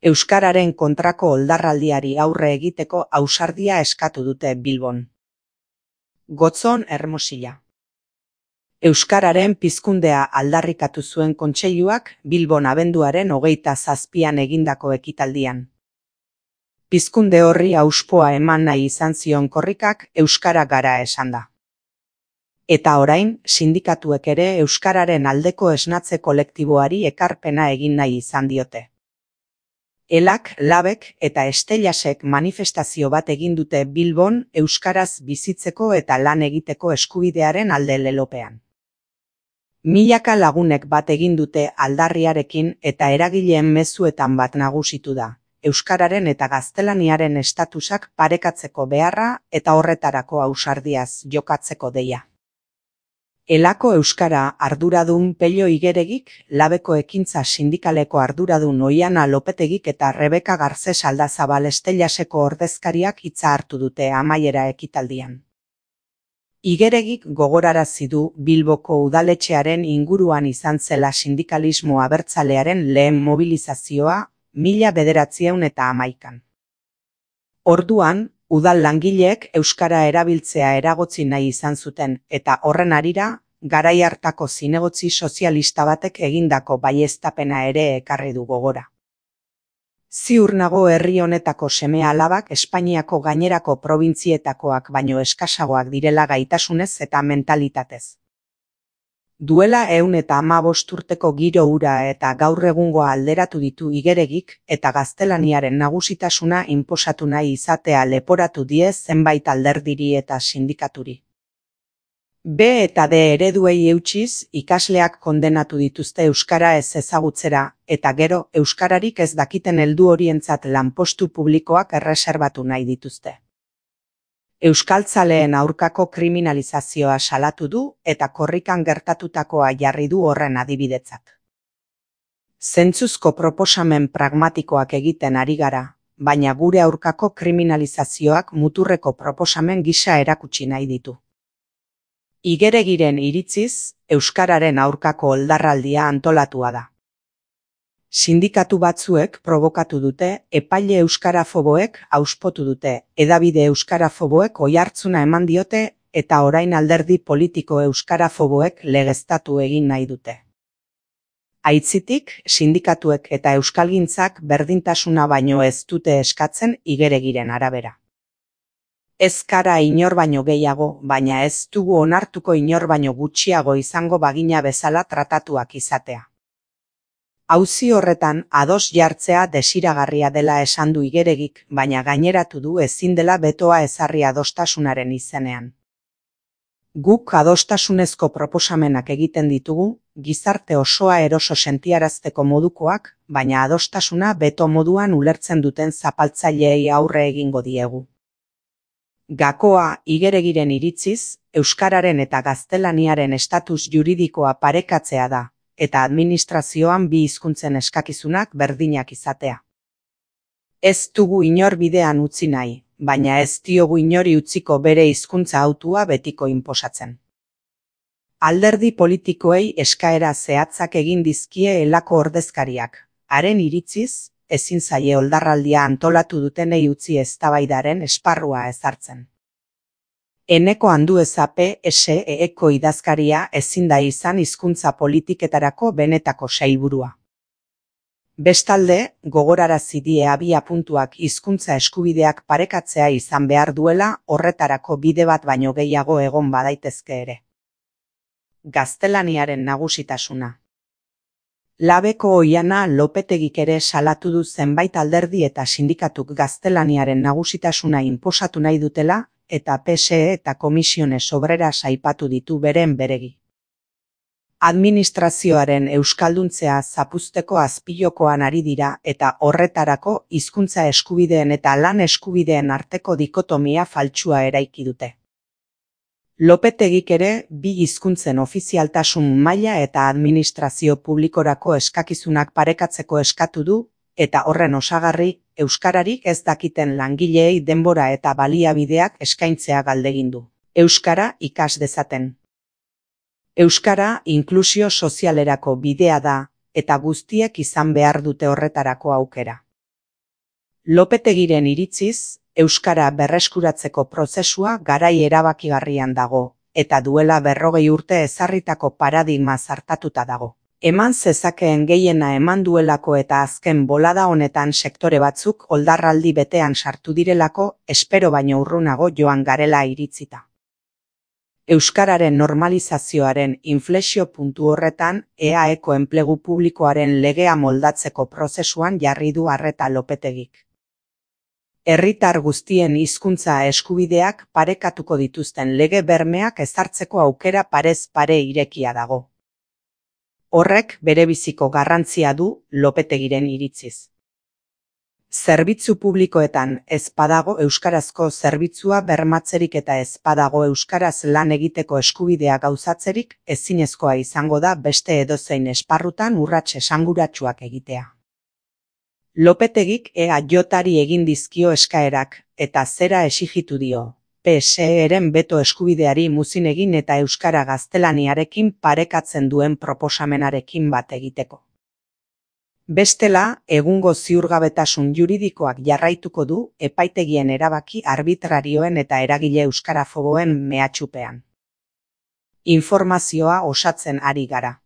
Euskararen kontrako oldarraldiari aurre egiteko ausardia eskatu dute Bilbon. Gotzon Hermosilla. Euskararen pizkundea aldarrikatu zuen kontseiluak Bilbon abenduaren 27an egindako ekitaldian. Pizkunde horri auspoa eman nahi izan zion korrikak euskara gara esan da. Eta orain, sindikatuek ere euskararen aldeko esnatze kolektiboari ekarpena egin nahi izan diote. Elak, Labek eta Estellasek manifestazio bat egin dute Bilbon euskaraz bizitzeko eta lan egiteko eskubidearen alde lelopean. Milaka lagunek bat egin dute aldarriarekin eta eragileen mezuetan bat nagusitu da, euskararen eta gaztelaniaren estatusak parekatzeko beharra eta horretarako ausardiaz jokatzeko deia. Elako euskara arduradun Pello Igeregik, Labeko ekintza sindikaleko arduradun Oiana Lopetegik eta Rebeka Garces Aldazabal Estellaseko ordezkariak hitza hartu dute amaiera ekitaldian. Igeregik gogorarazi du Bilboko udaletxearen inguruan izan zela sindikalismo abertzalearen lehen mobilizazioa 1911an. Orduan, udal langileek euskara erabiltzea eragotzi nahi izan zuten eta horren harira, garai hartako zinegotzi sozialista batek egindako baieztapena ere ekarri du gogora. Ziur nago herri honetako seme-alabak Espainiako gainerako probintzietakoak baino eskasagoak direla gaitasunez eta mentalitatez. Duela 115 urteko giro hura eta gaur egungoa alderatu ditu Igeregik eta gaztelaniaren nagusitasuna inposatu nahi izatea leporatu die zenbait alderdiri eta sindikaturi. B eta D ereduei eutsiz, ikasleak kondenatu dituzte euskara ez ezagutzera, eta gero euskararik ez dakiten heldu horientzat lanpostu publikoak erreserbatu nahi dituzte. Euskaltzaleen aurkako kriminalizazioa salatu du eta korrikan gertatutakoa jarri du horren adibidetzat. Zentzuzko proposamen pragmatikoak egiten ari gara, baina gure aurkako kriminalizazioak muturreko proposamen gisa erakutsi nahi ditu. Igeregiren iritziz, euskararen aurkako oldarraldia antolatua da. Sindikatu batzuek probokatu dute, epaile euskarafoboek auspotu dute, hedabide euskarafoboek oihartzuna eman diote eta orain alderdi politiko euskarafoboek legeztatu egin nahi dute. Aitzitik, sindikatuek eta euskalgintzak berdintasuna baino ez dute eskatzen Igeregiren arabera. Ez gara inor baino gehiago, baina ez dugu onartuko inor baino gutxiago izango bagina bezala tratatuak izatea. Auzi horretan ados jartzea desiragarria dela esan du Igeregik, baina gaineratu du ezin dela betoa ezarri adostasunaren izenean. Guk adostasunezko proposamenak egiten ditugu, gizarte osoa eroso sentiarazteko modukoak, baina adostasuna beto moduan ulertzen duten zapaltzaileei aurre egingo diegu. Gakoa Igeregiren iritziz, euskararen eta gaztelaniaren estatus juridikoa parekatzea da, eta administrazioan bi hizkuntzen eskakizunak berdinak izatea. Ez dugu inor bidean utzi nahi, baina ez diogu inori utziko bere hizkuntza hautua betiko inposatzen. Alderdi politikoei eskaera zehatzak egin dizkie Elako ordezkariak, haren iritziz, ezin zaie oldarraldia antolatu dutenei utzi eztabaidaren esparrua ezartzen. Eneko Andueza PSE-eko idazkaria ezin da izan hizkuntza politiketarako benetako sailburua. Bestalde, gogorarazi die abiapuntuak hizkuntza eskubideak parekatzea izan behar duela horretarako bide bat baino gehiago egon badaitezke ere. Gaztelaniaren nagusitasuna. Labeko Oiana Lopetegik ere salatu du zenbait alderdi eta sindikatuk gaztelaniaren nagusitasuna inposatu nahi dutela eta PSE eta Komisiones Obreras aipatu ditu beren beregi. Administrazioaren euskalduntzea zapuzteko azpilokoan ari dira eta horretarako hizkuntza eskubideen eta lan eskubideen arteko dikotomia faltsua eraiki dute. Lopetegik ere bi hizkuntzen ofizialtasun maila eta administrazio publikorako eskakizunak parekatzeko eskatu du, eta horren osagarri, euskararik ez dakiten langileei denbora eta baliabideak eskaintzea galdegin du. Euskara ikas dezaten. Euskara inklusio sozialerako bidea da, eta guztiek izan behar dute horretarako aukera. Lopetegiren iritziz, euskara berreskuratzeko prozesua garai erabakigarrian dago, eta duela 40 urte ezarritako paradigma zartatuta dago. Eman zezakeen gehiena eman duelako eta azken bolada honetan sektore batzuk oldarraldi betean sartu direlako, espero baino urrunago joan garela iritzita. Euskararen normalizazioaren inflexio puntu horretan, EAEko enplegu publikoaren legea moldatzeko prozesuan jarri du arreta Lopetegik. Herritar guztien hizkuntza eskubideak parekatuko dituzten lege bermeak ezartzeko aukera parez pare irekia dago. Horrek berebiziko garrantzia du Lopetegiren iritziz. Zerbitzu publikoetan ez badago euskarazko zerbitzua bermatzerik eta ez badago euskaraz lan egiteko eskubidea gauzatzerik, ezinezkoa izango da beste edozein esparrutan urrats esanguratsuak egitea. Lopetegik EAJari egin dizkio eskaerak, eta zera exijitu dio. PSEren beto eskubideari muzin egin eta euskara gaztelaniarekin parekatzen duen proposamenarekin bat egiteko. Bestela, egungo ziurgabetasun juridikoak jarraituko du epaitegien erabaki arbitrarioen eta eragile euskarafoboen mehatxupean. Informazioa osatzen ari gara.